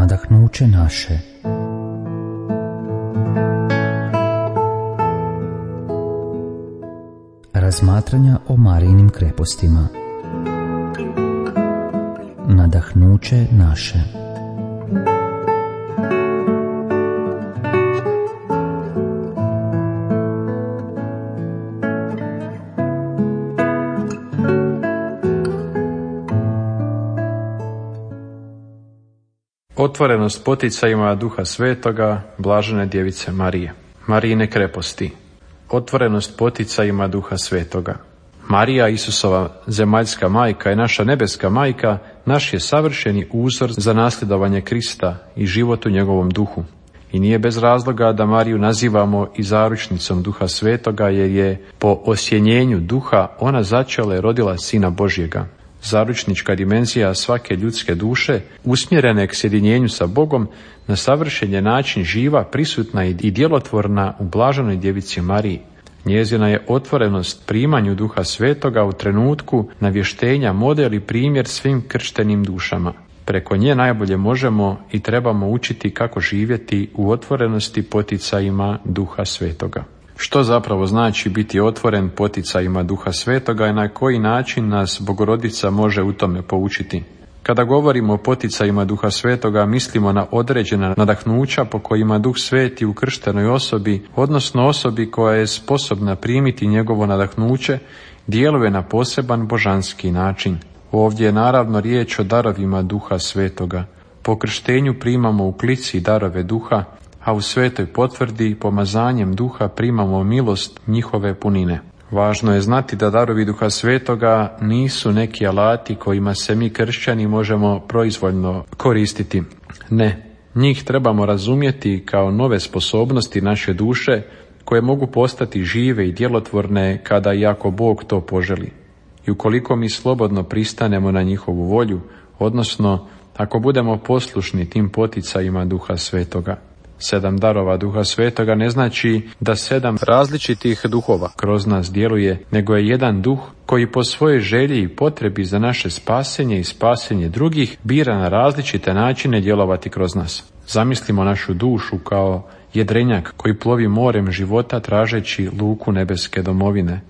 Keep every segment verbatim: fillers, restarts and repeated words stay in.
nadahnuće naše. Razmatranja o Marijinim krepostima. Nadahnuće naše. Otvorenost poticajima Duha Svetoga, blažene djevice Marije. Marijine kreposti. Otvorenost poticajima Duha Svetoga. Marija, Isusova zemaljska majka i naša nebeska majka, naš je savršeni uzor za nasljedovanje Krista i život u njegovom duhu. I nije bez razloga da Mariju nazivamo i zaručnicom Duha Svetoga, jer je po osjenjenju duha ona začela i rodila Sina Božjega. Zaručnička dimenzija svake ljudske duše, usmjerene k sjedinjenju sa Bogom, na savršen je način živa, prisutna i djelotvorna u blaženoj djevici Mariji. Njezina je otvorenost primanju Duha Svetoga u trenutku navještenja model i primjer svim krštenim dušama. Preko nje najbolje možemo i trebamo učiti kako živjeti u otvorenosti poticajima Duha Svetoga. Što zapravo znači biti otvoren poticajima Duha Svetoga i na koji način nas Bogorodica može u tome poučiti? Kada govorimo o poticajima Duha Svetoga, mislimo na određena nadahnuća po kojima Duh Sveti u krštenoj osobi, odnosno osobi koja je sposobna primiti njegovo nadahnuće, djeluje na poseban božanski način. Ovdje je naravno riječ o darovima Duha Svetoga. Po krštenju primamo u klici darove Duha, a u svetoj potvrdi pomazanjem Duha primamo milost njihove punine. Važno je znati da darovi Duha Svetoga nisu neki alati kojima se mi kršćani možemo proizvoljno koristiti. Ne, njih trebamo razumjeti kao nove sposobnosti naše duše koje mogu postati žive i djelotvorne kada i ako Bog to poželi. I ukoliko mi slobodno pristanemo na njihovu volju, odnosno ako budemo poslušni tim poticajima Duha Svetoga. Sedam darova Duha Svetoga ne znači da sedam različitih duhova kroz nas djeluje, nego je jedan duh koji po svojoj želji i potrebi za naše spasenje i spasenje drugih bira na različite načine djelovati kroz nas. Zamislimo našu dušu kao jedrenjak koji plovi morem života tražeći luku nebeske domovine.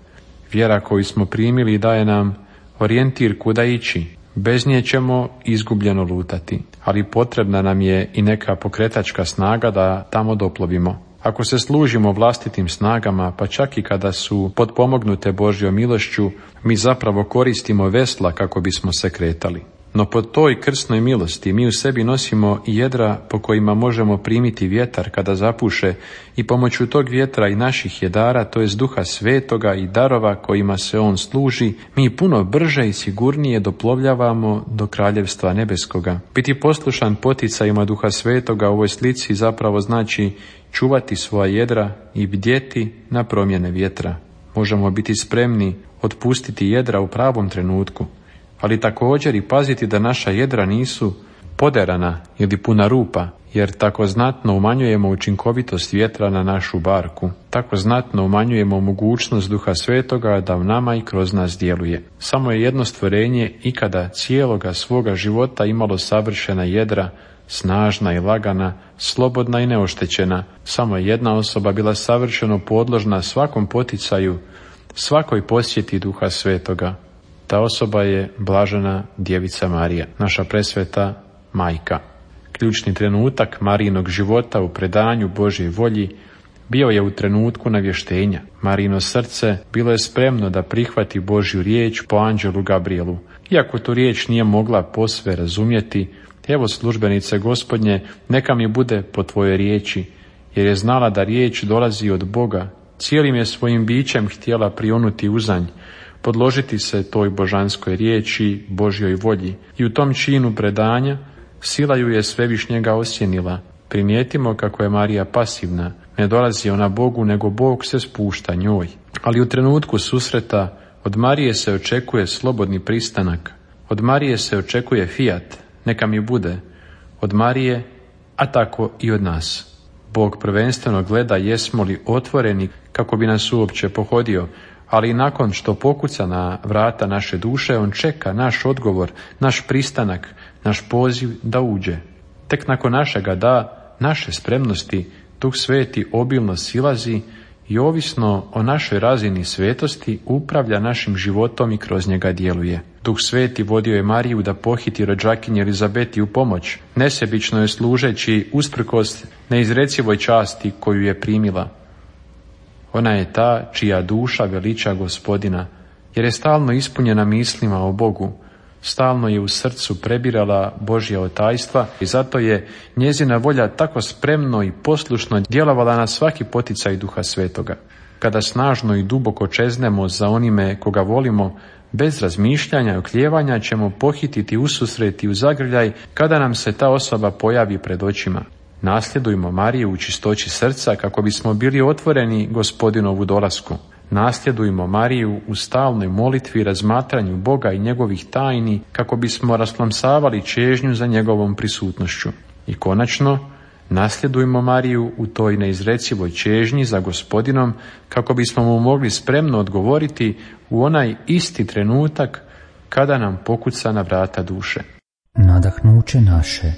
Vjera koju smo primili daje nam orijentir kuda ići. Bez nje ćemo izgubljeno lutati, ali potrebna nam je i neka pokretačka snaga da tamo doplovimo. Ako se služimo vlastitim snagama, pa čak i kada su potpomognute Božjom milošću, mi zapravo koristimo vesla kako bismo se kretali. No po toj krsnoj milosti mi u sebi nosimo i jedra po kojima možemo primiti vjetar kada zapuše i pomoću tog vjetra i naših jedara, to jest Duha Svetoga i darova kojima se on služi, mi puno brže i sigurnije doplovljavamo do Kraljevstva nebeskoga. Biti poslušan poticajima Duha Svetoga u ovoj slici zapravo znači čuvati svoja jedra i bdjeti na promjene vjetra. Možemo biti spremni otpustiti jedra u pravom trenutku, ali također i paziti da naša jedra nisu poderana ili puna rupa, jer tako znatno umanjujemo učinkovitost vjetra na našu barku. Tako znatno umanjujemo mogućnost Duha Svetoga da u nama i kroz nas djeluje. Samo je jedno stvorenje ikada cijeloga svoga života imalo savršena jedra, snažna i lagana, slobodna i neoštećena. Samo je jedna osoba bila savršeno podložna svakom poticaju, svakoj posjeti Duha Svetoga. Ta osoba je blažena djevica Marija, naša presveta majka. Ključni trenutak Marijinog života u predanju Božjoj volji bio je u trenutku navještenja. Marijino srce bilo je spremno da prihvati Božju riječ po anđelu Gabrielu. Iako tu riječ nije mogla posve razumjeti, evo službenice Gospodnje, neka mi bude po tvojoj riječi, jer je znala da riječ dolazi od Boga. Cijelim je svojim bićem htjela prionuti uzanj, podložiti se toj božanskoj riječi, Božjoj volji. I u tom činu predanja sila ju je svevišnjega osjenila. Primijetimo kako je Marija pasivna. Ne dolazi ona Bogu, nego Bog se spušta njoj. Ali u trenutku susreta od Marije se očekuje slobodni pristanak. Od Marije se očekuje fiat, neka mi bude. Od Marije, a tako i od nas. Bog prvenstveno gleda jesmo li otvoreni kako bi nas uopće pohodio, ali i nakon što pokuca na vrata naše duše, on čeka naš odgovor, naš pristanak, naš poziv da uđe. Tek nakon našega da, naše spremnosti, Duh Sveti obilno silazi i ovisno o našoj razini svetosti upravlja našim životom i kroz njega djeluje. Duh Sveti vodio je Mariju da pohiti rođakinji Elizabeti u pomoć, nesebično je služeći usprkos neizrecivoj časti koju je primila. Ona je ta čija duša veliča Gospodina, jer je stalno ispunjena mislima o Bogu, stalno je u srcu prebirala Božja otajstva i zato je njezina volja tako spremno i poslušno djelovala na svaki poticaj Duha Svetoga. Kada snažno i duboko čeznemo za onime koga volimo, bez razmišljanja i oklijevanja ćemo pohititi ususret i u zagrljaj kada nam se ta osoba pojavi pred očima. Nasljedujmo Mariju u čistoći srca kako bismo bili otvoreni Gospodinovu dolasku. Nasljedujmo Mariju u stalnoj molitvi i razmatranju Boga i njegovih tajni kako bismo rasplamsavali čežnju za njegovom prisutnošću. I konačno, nasljedujmo Mariju u toj neizrecivoj čežnji za Gospodinom kako bismo mu mogli spremno odgovoriti u onaj isti trenutak kada nam pokuca na vrata duše. Nadahnuće naše.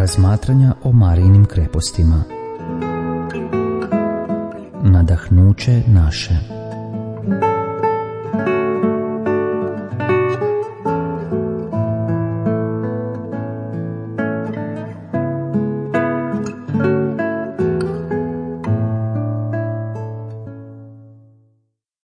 Razmatranja o Marijinim krepostima. Nadahnuće naše.